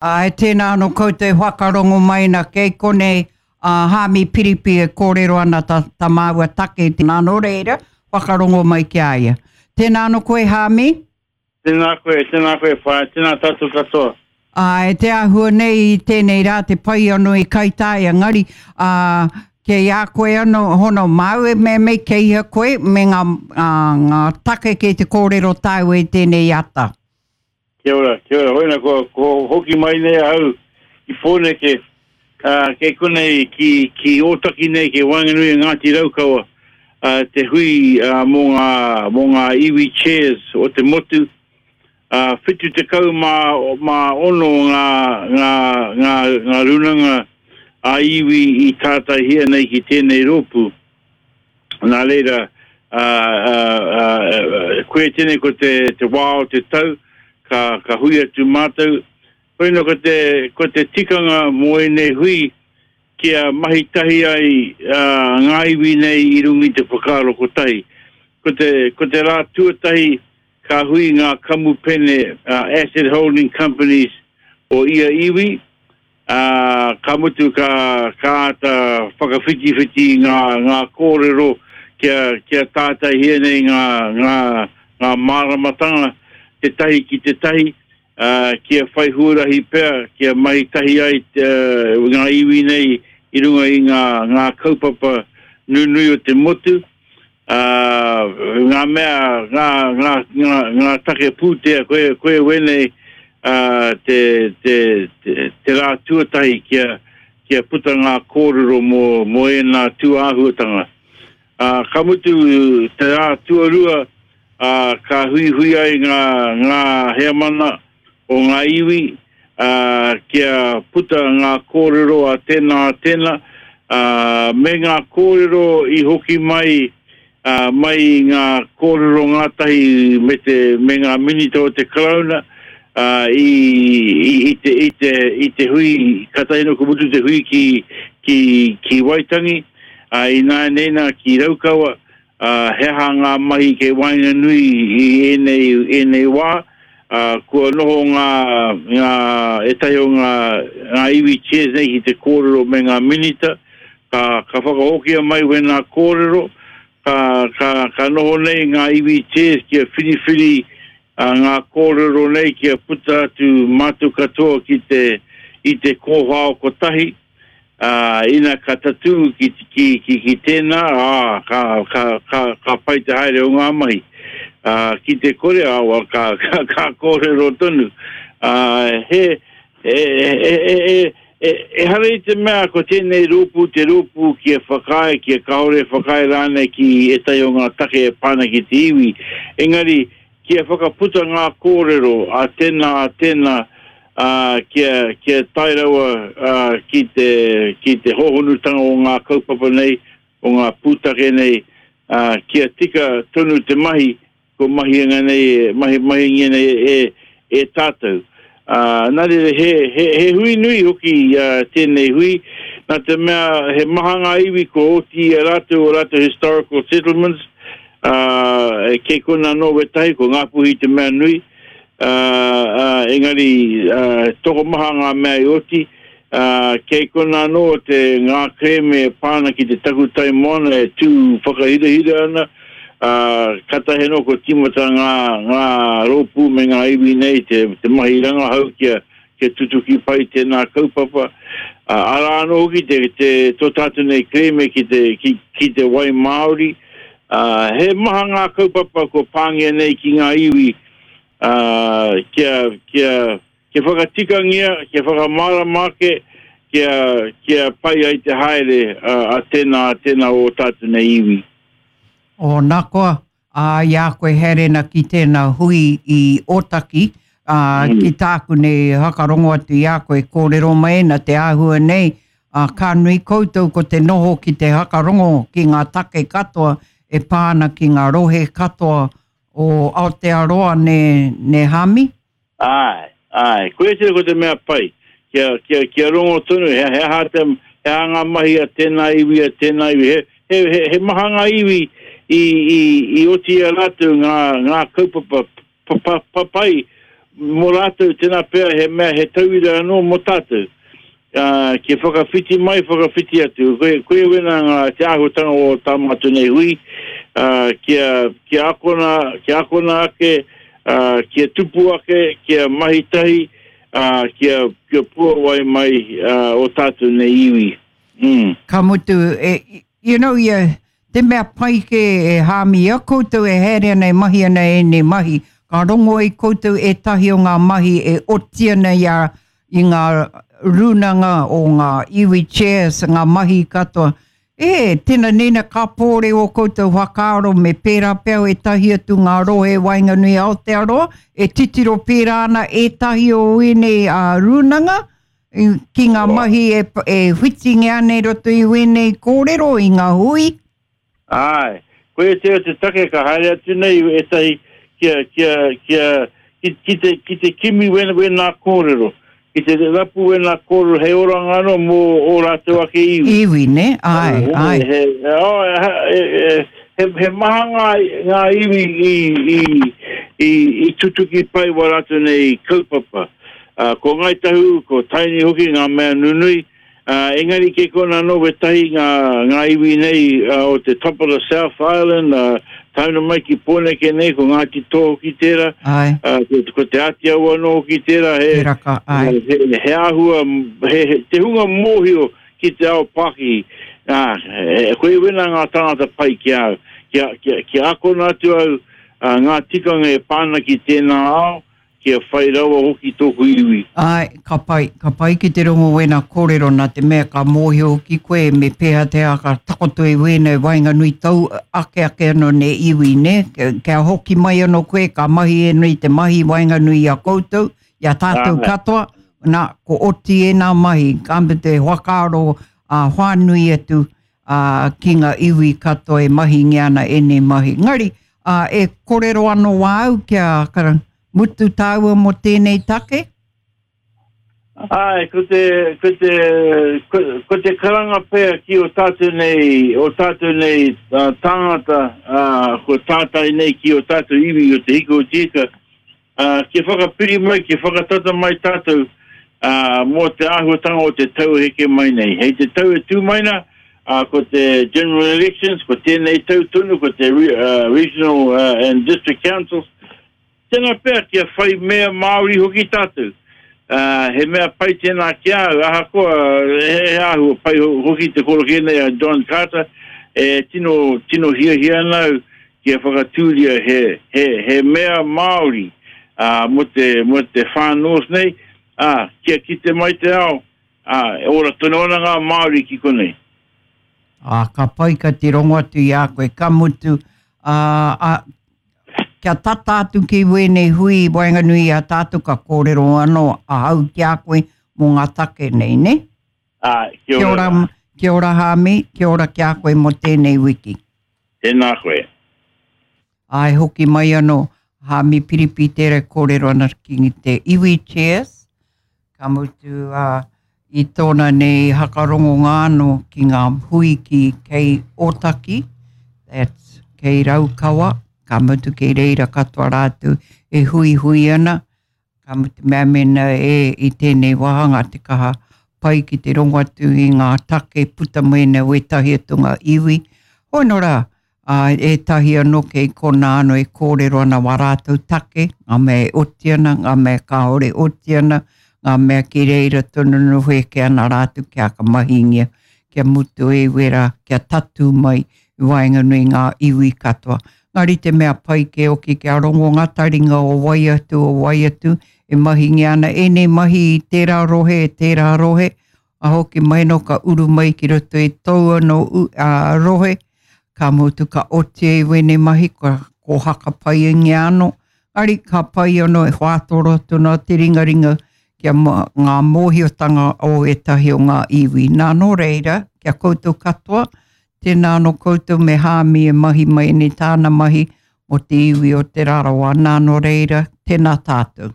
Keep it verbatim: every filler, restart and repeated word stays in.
Āe, tēnā anō koutou e whakarongo mai na kei konei a Haami Piripi e kōrero ana ta, ta māua take tēnā nō reira, whakarongo mai ki a ia. Tēnā anō koe Haami? Tēnā koe, tēnā koe whaea, tēnā tātou katoa. Āe, te āhua nei i tēnei rā te pai anō i Kaitaia, engari ā, kei a koe anō, hono māu e mea mei kei ia koe me ngā, ngā, ngā take kei te kōrero tāua i tēnei ata. Kia ora, kia ora. Hoina, ko, ko hoki mai nei ahau ki Pōneke, ā, kei konei ki, ki Ōtaki nei, kei waenganui i Ngāti Raukawa, ā, te hui ā, mō ngā, mō ngā iwi chairs o te motu. Ā, whitu tekau mā, mā ono ngā, ngā, ngā, ngā rūnanga ā-iwi i tātaihia nei ki tēnei rōpū. Nā reira, ā, ā, ā, koia tēnei ko te, te wā o te tau, ka, ka hui atu mātou. Koina ko te, ko te tikanga mō ēnei hui, kia mahi tahi ai ā, ngā iwi nei i runga i te whakaaro kotahi. Ko te, ko te rā tuatahi ka hui ngā kamupene uh, asset holding companies o ia iwi, ā, ka mutu ka, ka āta whakawhitiwhiti ngā, ngā kōrero kia, kia tātaihia nei ngā, ngā, ngā māramatanga tētahi ki tētahi, ā, kia whai huarahi pea, kia mahi tahi ai te, ngā iwi nei i runga i ngā, ngā kaupapa nunui o te motu, ā, ngā mea, ngā, ngā, ngā, ngā take pūtea, koe, koe wēnei, ā, te, te, te, te rā tuatahi kia, kia puta ngā kōrero mō, mō ēnā tūāhuatanga. Ā, ka mutu te rā tuarua, ā, ka huihui ai ngā, ngā heamana o ngā iwi, ā, kia puta ngā kōrero a tēnā, a tēnā, ā, me ngā kōrero i hoki mai, ā, mai i ngā kōrero ngātahi me te, me ngā minita o te Karauna, ā, i, i, i te, i te, i te hui, kātahi anō ka mutu te hui ki, ki, ki Waitangi, ā, ināianei nā ki Raukawa, ā, he aha ngā mahi kei waenganui i ēnei, ēnei wā, ā, kua noho ngā, ngā, ētahi o ngā, ngā iwi chairs nei ki te kōrero me ngā minita, ka, ka whakahokia mai wēnā kōrero, ka, ka, ka noho nei ngā iwi chairs kia whiriwhiri ā, ngā kōrero nei kia puta atu mātou katoa ki te, i te kōwhao kotahi, ā, ina ka tatū ki, ki, ki, ki tēnā, ā, ka, ka, ka, ka pai te haere o ngā mahi. Ā, ki te kore, ā, wa, ka, ka, ka kōrero tonu. Ā, he, e, e, e, e, e, ehara i te mea ko tēnei rōpū te rōpū kia whakaae, kia kāore e whakaae rānei ki ētahi o ngā take e pā ana ki te iwi, engari kia whakaputa ngā kōrero a tēnā, a tēnā, ā, kia, kia tae rawa, ā, ki te, ki te hōhonutanga o ngā kaupapa nei, o ngā pūtake nei, ā, kia tika tonu te mahi, ko mahinga nei, mahi, mahingia nei e, e tātou. Ā, nā reira, he, he, he hui nui hoki ā, tēnei hui, nā te mea he maha ngā iwi kua oti i a rātou o rātou historical settlements, ā, kei konā anō wētahi, ko Ngāpuhi te mea nui, ā, ā, engari ā, tokomaha ngā mea i oti, ā, kei konā anō te ngā kerēme e pā ana ki te takutai moana e tū whakahirahira ana, ā, kātahi anō kua tīmata ngā, ngā rōpū me ngā iwi nei te, te mahi rangahau kia, kia tutuki pai tēnā kaupapa. Ā, arā anō hoki te, te, tō tātou nei kerēme ki te, ki, ki te wai Māori, ā, he maha ngā kaupapa kua pāngia nei ki ngā iwi, ā, kia, kia, kia whakatikangia, kia whakamārama ake, kia, kia pai ai te haere a, a tēnā, a tēnā o ō tātou nei iwi. O, nā koa, ā, i a koe haere ana ki tēnā hui i Ōtaki, ā, mm. ki tāku nei whakarongo atu i a koe kōrero mai ana te āhua nei, ā, ka nui koutou ko te noho ki te whakarongo ki ngā take katoa e pā ana ki ngā rohe katoa o Aotearoa ne, ne Hami? Āe, āe. Koia tēnei ko te mea pai, kia, kia, kia rongo tonu, he, he aha te, he aha ngā mahi a tēnā iwi, a tēnā iwi. He, he, he, he maha ngā iwi i, i, i oti i a rātou ngā, ngā kaupapa papai mō rātou, tēnā pea he mea he tauira anō mō tātou. Uh, kia whakawhiti mai, whakawhiti atu. Koe, koe wena ngā te āhuatanga o tā mātou nei hui, uh, kia, kia akona, kia akona ake, uh, kia tupu ake, kia mahi tahi, uh, kia, kia puawai mai uh, o tātou nei iwi. Mm. Ka mutu, e, you know, ia, te mea pai ke e hāmi a koutou e haere ana e mahi ana e nei mahi, ka rongo ai koutou e tahi o ngā mahi e oti ana i, a, i ngā rūnanga o ngā iwi chairs, ngā mahi katoa. E, tēnā nena ka pōre o koutou whakaaro me pērā pea e tahi atu ngā rohe waenganui Aotearoa, e titiro pērā ana e tahi o ēnei uh, rūnanga, ki ngā mahi e, e whitinge ana i roto i wēnei kōrero i ngā hui. Ai, koe te o te take ka haere atu nei e tahi kia, kia, kia, ki, ki, te, ki te kimi wena, wena kōrero. Ki te rapu wena kōrero hei oranga anō mō o rātou ake iwi. Iwi, ne? Ai, ai. He, oh, he, he, he maha ngā, ngā iwi i, i, i, i tutuki pai wa rātou nei kaupapa. Uh, ko Ngāi Tahu, ko Tainui hoki ngā mea nunui. Uh, engari ke kona anō wetahi ngā, ngā iwi nei uh, o te top of the South Island, uh, tauna mai ki Pōneke nei, ko Ngāti Toa hoki tērā, uh, ko, ko Te Āti Awa anō hoki tērā, he, Tērā ka, ai. he, he āhua, he, he, te hunga mōhio ki te ao Pākihi. Ah, e, koe wena ngā tāngata pai ki au, kia, kia, kia akona atu au uh, ngā tikanga e pāna ki tēnā ao, kia whai rawa hoki tōku iwi. Ai, ka pai, ka pai ki te rongo wena kōrero nā te mea ka mōhio ki koe me pēhea te aka takoto i wēnei waenganui tau ake ake anō ne iwi, ne? Kia hoki mai anō koe, ka mahi e nui te mahi waenganui i a koutou, i a tātou Āe. katoa, nā, ko oti e nā mahi, ka me te whakaaro a whānui atu a, ki ngā iwi katoa e mahi ana ēnei mahi. Ngari, a, e kōrero anō wāu kia kara, mutu tāua mō tēnei take? Ai, ko te, ko te, ko, ko te karanga pea ki o tātou nei, o tātou nei uh, tāngata, uh, ko tātai nei ki o tātou iwi o Te Hiko o Te Ika, uh, kia whakapiri mai, kia whakatata mai tātou uh, mō te āhuatanga o te tau heke mai nei. Hei te tau e tū mai nā, uh, ko te general elections, ko tēnei tau tonu, ko te re, uh, regional uh, and district councils, tēnā pea kia whai mea Māori hoki tātou. Uh, he mea pai tēnā ki au, ahakoa he, he āhua pai hoki te koroke nei a John Carter, e tino, tino hiahia ana au kia whakatūria he, he, he mea Māori uh, mo te, mo te Far North nei, uh, kia kite mai te ao, uh, e ora tonu ana ngā Māori ki konei. Ā, ka pai ka te rongo atu i a koe, ka mutu, ā, a, kia tata atu ki wēnei hui waenganui i a tātou ka kōrero anō ahau ki a koe mō ngā take nei, ne? Ā, kia Kia ora. ora, kia ora Hāmi, kia ora ki a koe mō tēnei wiki. Tēnā koe. Ai hoki mai anō, Hāmi Piripi tērā kōrero ana ki te iwi chairs, ka mutu uh, i tōna nei hakarongo anō ki ngā hui ki kei Ōtaki, that's kei Raukawa, ka mutu kei reira katoa rātou e hui hui ana, ka mutu mea mena e i tēnei wāhanga te kaha pai ki te rongo atu i ngā take puta mēnā wētahi atu ngā iwi. Hoi nō rā, ā, ētahi anō kei kona anō e kōrero ana wā rātou take, ngā mea e oti ana, ngā mea kāore oti ana, ngā mea ki reira tonu no wheke ana rātou kia ka mahingia, kia mutu e wera, kia tatu mai i waenganui ngā iwi katoa. Ngari te mea pai ke oki kia rongo ngā taringa o wai atu, o wai atu, e mahingia ana ēnei mahi i tērā rohe, e tērā rohe, a hoki mai no ka uru mai ki roto i tau anō uh, rohe, ka mutu ka oti e wēnei mahi, ka ko haka pai ingia anō, ngari ka pai anō e whātoro tuna te ringaringa kia ma, ngā mōhiotanga o ētahi o ngā iwi. Nā nō reira, kia koutou katoa, tēnā anō koutou me Hāmi e mahi mai nei tāna mahi o te iwi o Te Rarawa. Nā nō reira, tēnā tātou.